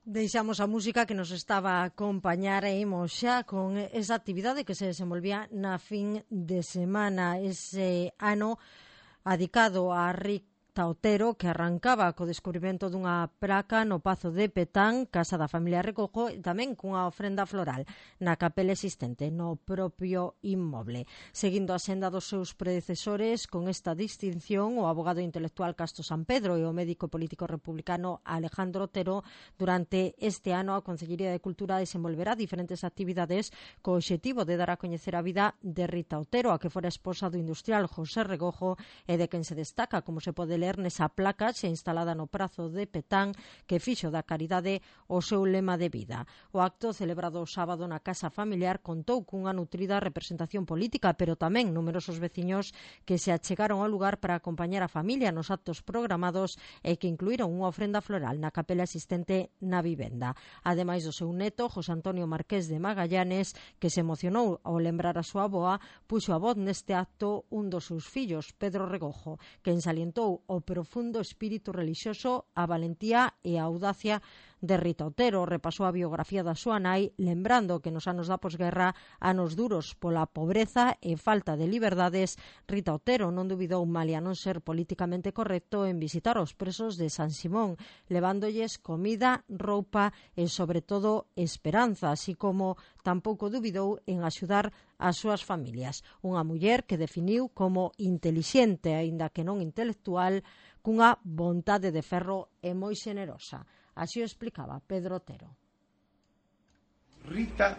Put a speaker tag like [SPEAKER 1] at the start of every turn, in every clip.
[SPEAKER 1] Deixamos a música que nos estaba a acompañar e imos xa con esa actividade que se desenvolvía na fin de semana, ese ano adicado a Rita Otero, que arrancaba co descubrimento dunha praca no Pazo de Petán, casa da familia Recojo, e tamén cunha ofrenda floral na capela existente no propio inmoble. Seguindo a senda dos seus predecesores, con esta distinción, o abogado intelectual Casto Sampedro e o médico político republicano Alejandro Otero, durante este ano a Consellería de Cultura desenvolverá diferentes actividades co obxectivo de dar a coñecer a vida de Rita Otero, a que fora esposa do industrial José Regojo e de quen se destaca, como se pode ler nesa placa xa instalada no Prazo de Petán, que fixo da caridade o seu lema de vida. O acto, celebrado o sábado na casa familiar, contou cunha nutrida representación política, pero tamén numerosos veciños que se achegaron ao lugar para acompañar a familia nos actos programados e que incluíron unha ofrenda floral na capela existente na vivenda. Ademais do seu neto, José Antonio Marqués de Magallanes, que se emocionou ao lembrar a súa avoa, puxo a voz neste acto un dos seus fillos, Pedro Regojo, quen salientou o profundo espírito relixioso, a valentía e a audacia de Rita Otero. Repasou a biografía da súa nai, lembrando que nos anos da posguerra, anos duros pola pobreza e falta de liberdades, Rita Otero non dubidou, malia non ser políticamente correcto, en visitar os presos de San Simón, levándolles comida, roupa e, sobre todo, esperanza, así como tampouco dubidou en axudar as súas familias. Unha muller que definiu como intelixente, aínda que non intelectual, cunha vontade de ferro e moi xenerosa. Así o explicaba Pedro Otero.
[SPEAKER 2] Rita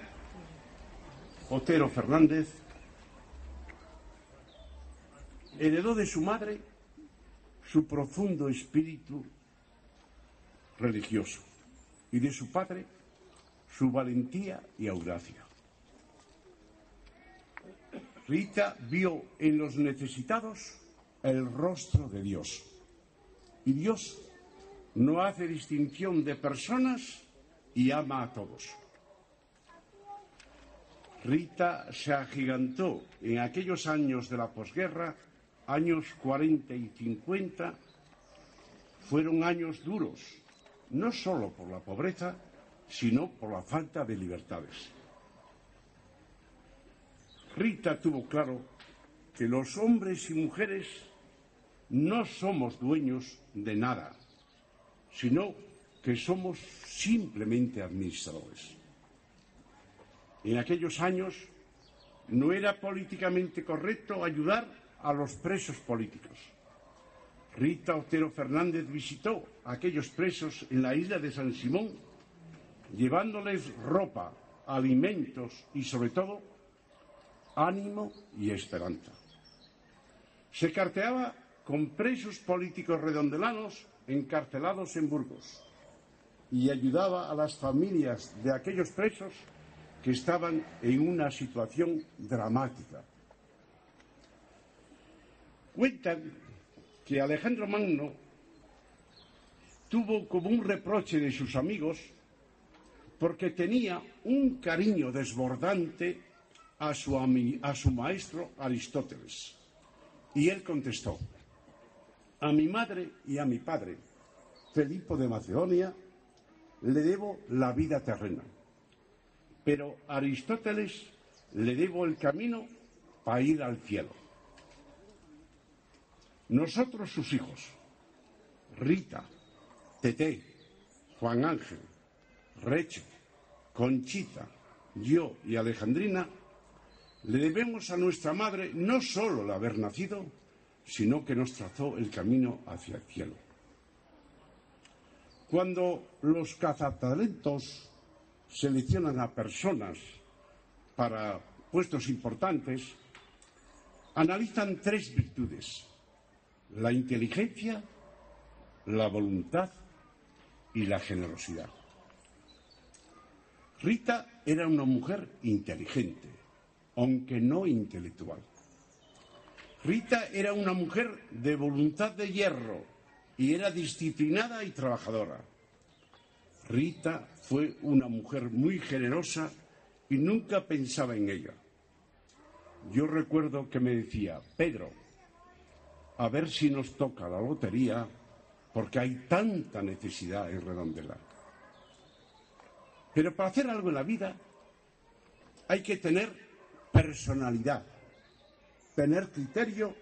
[SPEAKER 2] Otero Fernández heredó de su madre su profundo espíritu religioso y de su padre su valentía y audacia. Rita vio en los necesitados el rostro de Dios, y Dios no hace distinción de personas y ama a todos. Rita se agigantó en aquellos años de la posguerra, años 40 y 50, fueron años duros, no solo por la pobreza, sino por la falta de libertades. Rita tuvo claro que los hombres y mujeres no somos dueños de nada, sino que somos simplemente administradores. En aquellos años no era políticamente correcto ayudar a los presos políticos. Rita Otero Fernández visitó a aquellos presos en la isla de San Simón, llevándoles ropa, alimentos y, sobre todo, ánimo y esperanza. Se carteaba con presos políticos redondelanos encarcelados en Burgos y ayudaba a las familias de aquellos presos que estaban en una situación dramática. Cuentan que Alejandro Magno tuvo como un reproche de sus amigos porque tenía un cariño desbordante a su maestro Aristóteles. Y él contestó: a mi madre y a mi padre, Felipo de Macedonia, le debo la vida terrena, pero a Aristóteles le debo el camino para ir al cielo. Nosotros, sus hijos, Rita, Teté, Juan Ángel, Reche, Conchita, yo y Alejandrina, le debemos a nuestra madre no solo el haber nacido, sino que nos trazó el camino hacia el cielo. Cuando los cazatalentos seleccionan a personas para puestos importantes, analizan tres virtudes: la inteligencia, la voluntad y la generosidad. Rita era una mujer inteligente, aunque no intelectual. Rita era una mujer de voluntad de hierro y era disciplinada y trabajadora. Rita fue una mujer muy generosa y nunca pensaba en ella. Yo recuerdo que me decía: Pedro, a ver si nos toca la lotería, porque hay tanta necesidad en Redondela. Pero para hacer algo en la vida hay que tener personalidad, tener criterio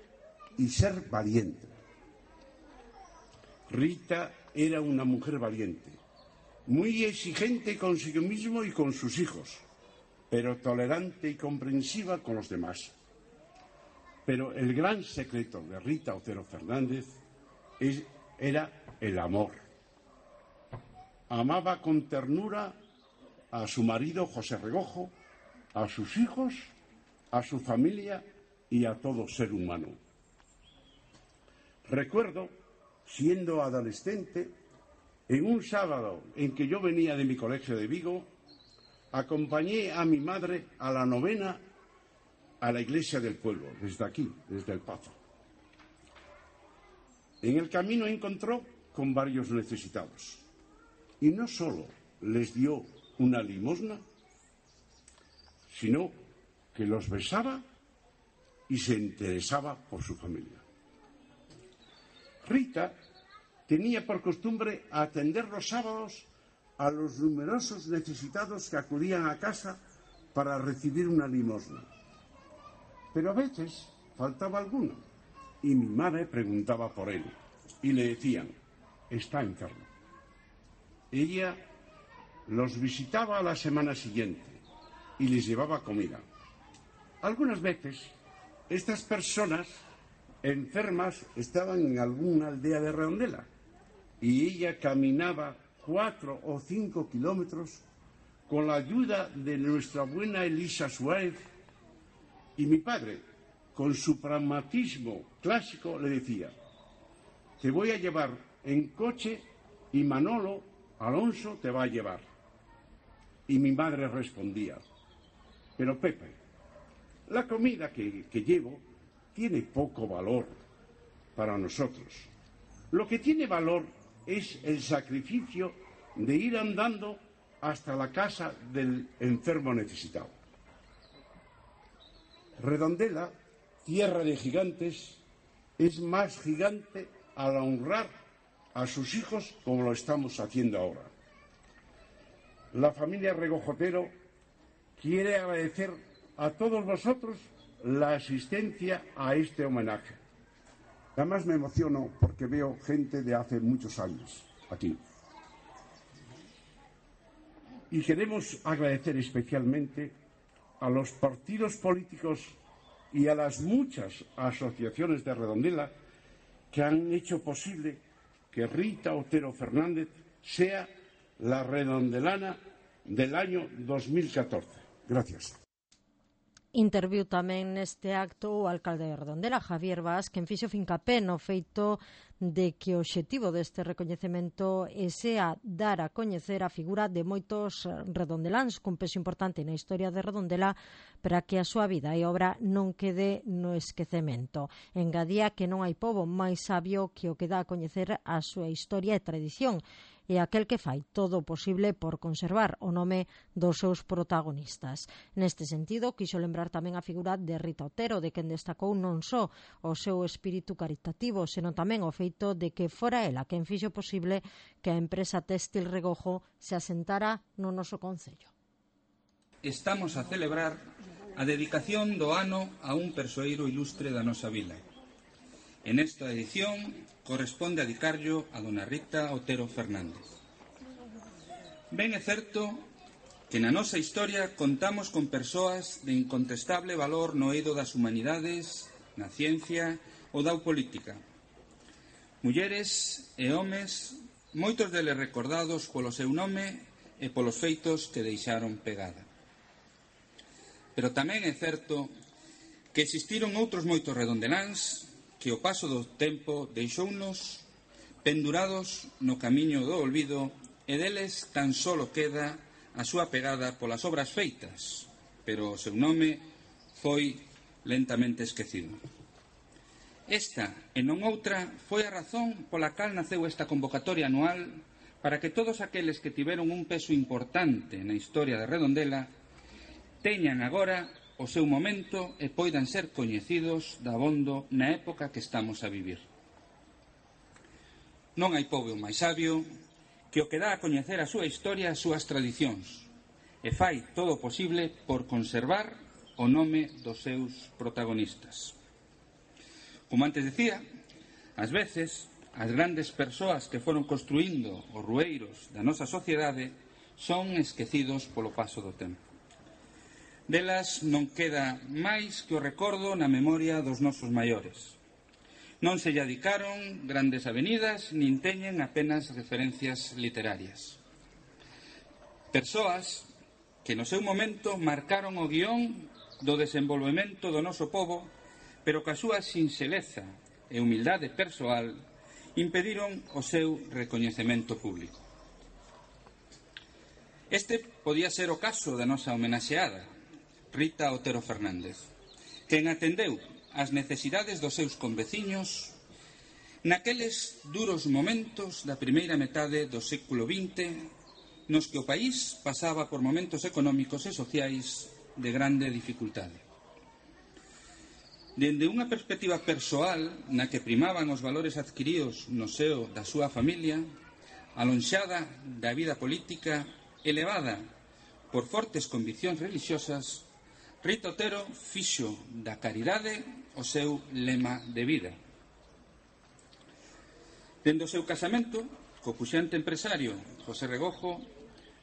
[SPEAKER 2] y ser valiente. Rita era una mujer valiente, muy exigente consigo mismo y con sus hijos, pero tolerante y comprensiva con los demás. Pero el gran secreto de Rita Otero Fernández era el amor. Amaba con ternura a su marido José Regojo, a sus hijos, a su familia y a todo ser humano. Recuerdo, siendo adolescente, en un sábado en que yo venía de mi colegio de Vigo, acompañé a mi madre a la novena a la iglesia del pueblo, desde aquí, desde el Pazo. En el camino encontró con varios necesitados y no solo les dio una limosna, sino que los besaba y se interesaba por su familia. Rita tenía por costumbre atender los sábados a los numerosos necesitados que acudían a casa para recibir una limosna. Pero a veces faltaba alguno y mi madre preguntaba por él y le decían: está enfermo. Ella los visitaba a la semana siguiente y les llevaba comida. Algunas veces estas personas enfermas estaban en alguna aldea de Redondela y ella caminaba 4 o 5 kilómetros con la ayuda de nuestra buena Elisa Suárez, y mi padre, con su pragmatismo clásico, le decía: te voy a llevar en coche y Manolo Alonso te va a llevar. Y mi madre respondía: pero Pepe, la comida que llevo tiene poco valor para nosotros. Lo que tiene valor es el sacrificio de ir andando hasta la casa del enfermo necesitado. Redondela, tierra de gigantes, es más gigante al honrar a sus hijos como lo estamos haciendo ahora. La familia Regojotero quiere agradecer a todos vosotros la asistencia a este homenaje. Además me emociono porque veo gente de hace muchos años aquí. Y queremos agradecer especialmente a los partidos políticos y a las muchas asociaciones de Redondela que han hecho posible que Rita Otero Fernández sea la redondelana del año 2014. Gracias.
[SPEAKER 1] Interviu tamén neste acto o alcalde de Redondela, Javier Vaz, quen fixo fincapé no feito de que o obxectivo deste recoñecemento sea dar a coñecer a figura de moitos redondeláns cun peso importante na historia de Redondela para que a súa vida e obra non quede no esquecemento. Engadía que non hai pobo máis sabio que o que dá a coñecer a súa historia e tradición, e aquel que fai todo o posible por conservar o nome dos seus protagonistas. Neste sentido, quixo lembrar tamén a figura de Rita Otero, de quen destacou non só o seu espírito caritativo, senón tamén o feito de que fora ela quen fixo posible que a empresa téxtil Regojo se asentara no noso concello.
[SPEAKER 3] Estamos a celebrar a dedicación do ano a un persoeiro ilustre da nosa vila. En esta edición corresponde dedicarlo a dona Rita Otero Fernández. Ben é certo que na nosa historia contamos con persoas de incontestable valor no eido das humanidades, na ciencia ou da política. Mulleres e homes, moitos deles recordados polo seu nome e polos feitos que deixaron pegada. Pero tamén é certo que existiron outros moitos redondeláns que o paso do tempo deixounos pendurados no camiño do olvido e deles tan solo queda a súa pegada polas obras feitas, pero o seu nome foi lentamente esquecido. Esta, e non outra, foi a razón pola cal naceu esta convocatoria anual para que todos aqueles que tiveron un peso importante na historia de Redondela teñan agora o seu momento e poidan ser coñecidos dabondo na época que estamos a vivir. Non hai pobo máis sabio que o que dá a coñecer a súa historia e as súas tradicións. e fai todo o posible por conservar o nome dos seus protagonistas. Como antes decía, ás veces as grandes persoas que foron construindo os rueiros da nosa sociedade son esquecidos polo paso do tempo. Delas non queda máis que o recordo na memoria dos nosos maiores. Non se lle dedicaron grandes avenidas nin teñen apenas referencias literarias. Persoas que no seu momento marcaron o guión do desenvolvemento do noso pobo, pero que a súa sinxeleza e humildade persoal impediron o seu recoñecemento público. Este podía ser o caso da nosa homenaxeada, Rita Otero Fernández, quen atendeu as necesidades dos seus conveciños naqueles duros momentos da primeira metade do século XX nos que o país pasaba por momentos económicos e sociais de grande dificultade. Dende unha perspectiva persoal na que primaban os valores adquiridos no seo da súa familia, alonxada da vida política, elevada por fortes conviccións religiosas, Rita Otero fixo da caridade o seu lema de vida. Dende o seu casamento, co puxante empresario José Regojo,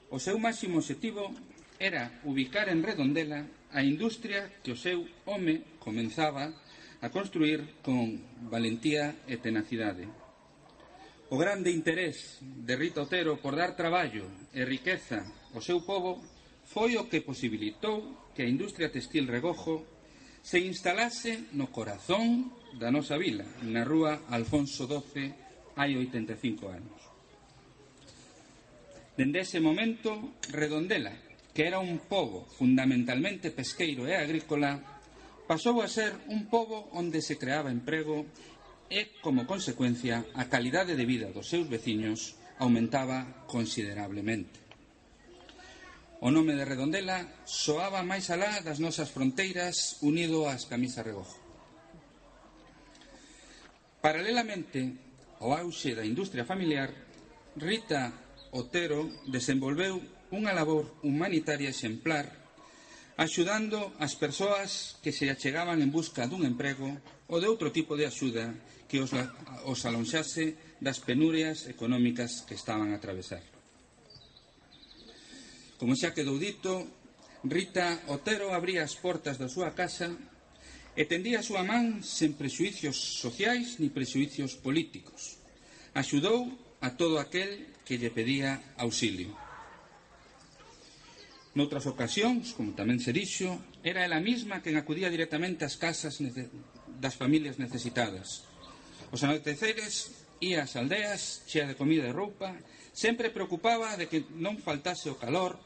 [SPEAKER 3] o seu máximo obxectivo era ubicar en Redondela a industria que o seu home comenzaba a construir con valentía e tenacidade. O grande interés de Rita Otero por dar traballo e riqueza ao seu pobo foi o que posibilitou que a industria textil Regojo se instalase no corazón da nosa vila, na rúa Alfonso XII, hai 85 anos. Dende ese momento, Redondela, que era un pobo fundamentalmente pesqueiro e agrícola, pasou a ser un pobo onde se creaba emprego e, como consecuencia, a calidade de vida dos seus veciños aumentaba considerablemente. O nome de Redondela soaba máis alá das nosas fronteiras unido ás camisas Regojo. Paralelamente ao auxe da industria familiar, Rita Otero desenvolveu unha labor humanitaria exemplar, axudando as persoas que se achegaban en busca dun emprego ou de outro tipo de axuda que os alonxase das penurias económicas que estaban a atravesar. Como xa quedou dito, Rita Otero abría as portas da súa casa e tendía a súa man sen prexuicios sociais ni prexuicios políticos. Axudou a todo aquel que lle pedía auxilio. Noutras ocasións, como tamén se dixo, era ela mesma quen acudía directamente ás casas das familias necesitadas. Os anoiteceres ía ás aldeas, chea de comida e roupa, sempre preocupaba de que non faltase o calor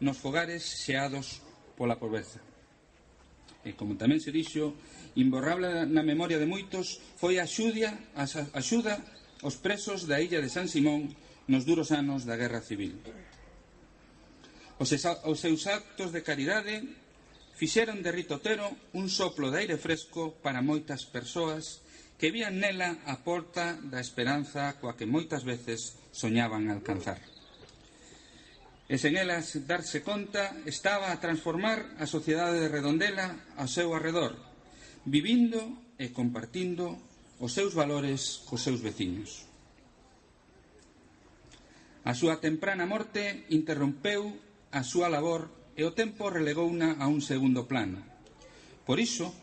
[SPEAKER 3] nos fogares xeados pola pobreza. E, como tamén se dixo, imborrable na memoria de moitos foi a axuda aos presos da illa de San Simón nos duros anos da Guerra Civil. Os seus actos de caridade fixeron de Rita Otero un soplo de aire fresco para moitas persoas que vían nela a porta da esperanza coa que moitas veces soñaban alcanzar. E sen elas darse conta, estaba a transformar a sociedade de Redondela ao seu arredor, vivindo e compartindo os seus valores cos seus veciños. A súa temprana morte interrompeu a súa labor e o tempo relegouna a un segundo plano. Por iso,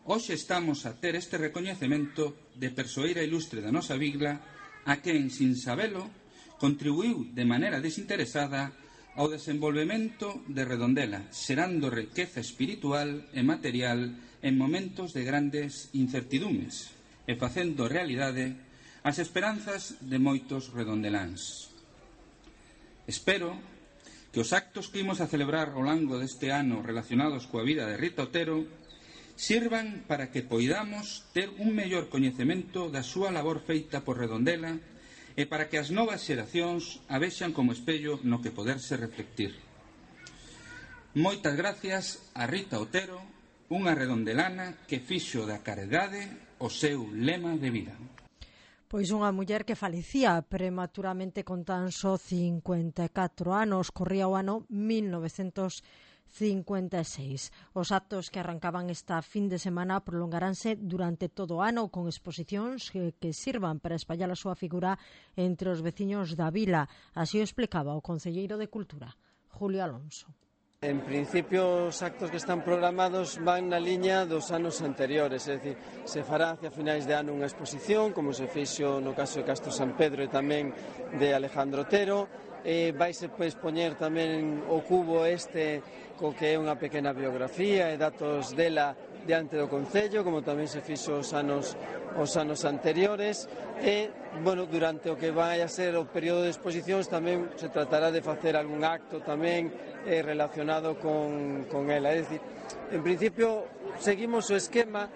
[SPEAKER 3] hoxe estamos a ter este recoñecemento de persoeira ilustre da nosa vila a quen, sin sabelo, contribuiu de maneira desinteresada ao desenvolvemento de Redondela, xerando riqueza espiritual e material en momentos de grandes incertidumes e facendo realidade as esperanzas de moitos redondeláns. Espero que os actos que imos a celebrar ao longo deste ano relacionados coa vida de Rita Otero sirvan para que poidamos ter un mellor coñecemento da súa labor feita por Redondela e para que as novas xeracións a vexan como espello no que poderse reflectir. Moitas gracias a Rita Otero, unha redondelana que fixo da caridade o seu lema de vida.
[SPEAKER 1] Pois unha muller que falecía prematuramente con tan só 54 anos, corría o ano 1956. Os actos que arrancaban esta fin de semana prolongaránse durante todo o ano con exposicións que sirvan para espallar a súa figura entre os veciños da vila. Así o explicaba o concelleiro de Cultura, Julio Alonso.
[SPEAKER 4] En principio, os actos que están programados van na liña dos anos anteriores, é dicir, se fará hacia finais de ano unha exposición, como se fixo no caso de Castro San Pedro e tamén de Alejandro Otero. Vaise expoñer tamén o cubo co que é unha pequena biografía e datos dela diante do Concello, como tamén se fixo os anos anteriores, e, bueno, durante o que vai a ser o período de exposicións tamén se tratará de facer algún acto tamén relacionado con ela. É dicir, en principio seguimos o esquema.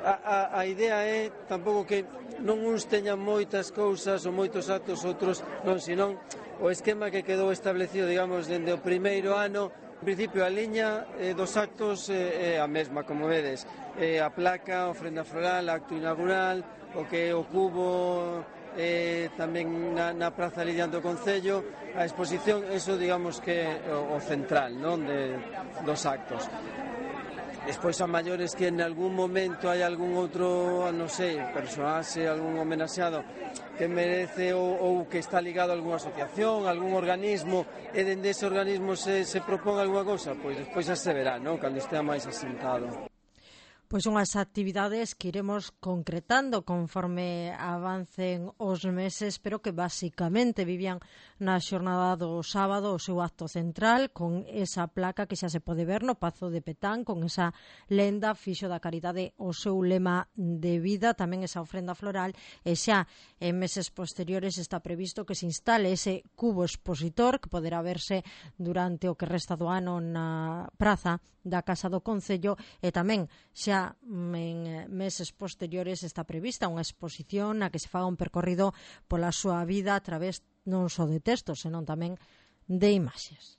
[SPEAKER 4] A idea é tampouco que non uns teñan moitas cousas ou moitos actos, outros non, senón o esquema que quedou establecido, digamos, dende o primeiro ano. En principio, a liña dos actos é a mesma, como vedes. A placa, a ofrenda floral, acto inaugural, o que é o cubo, tamén na Praza Lidiante do Concello, a exposición, eso digamos que é o central, non, dos actos. Despois a maiores que en algún momento hai algún outro, non sei, personaxe, algún homenaxeado que merece ou que está ligado a algunha asociación, a algún organismo, e dende ese organismo se propón algunha cousa, pois despois xa se verá, non, cando estea máis asentado.
[SPEAKER 1] Pois unhas actividades que iremos concretando conforme avancen os meses, pero que basicamente vivían na xornada do sábado o seu acto central con esa placa que xa se pode ver no Pazo de Petán, con esa lenda Fixo da Caridade o seu lema de vida, tamén esa ofrenda floral, e xa en meses posteriores está previsto que se instale ese cubo expositor que poderá verse durante o que resta do ano na praza da Casa do Concello, e tamén xa en meses posteriores está prevista unha exposición na que se faga un percorrido pola súa vida a través non só de textos, senón tamén de imaxes.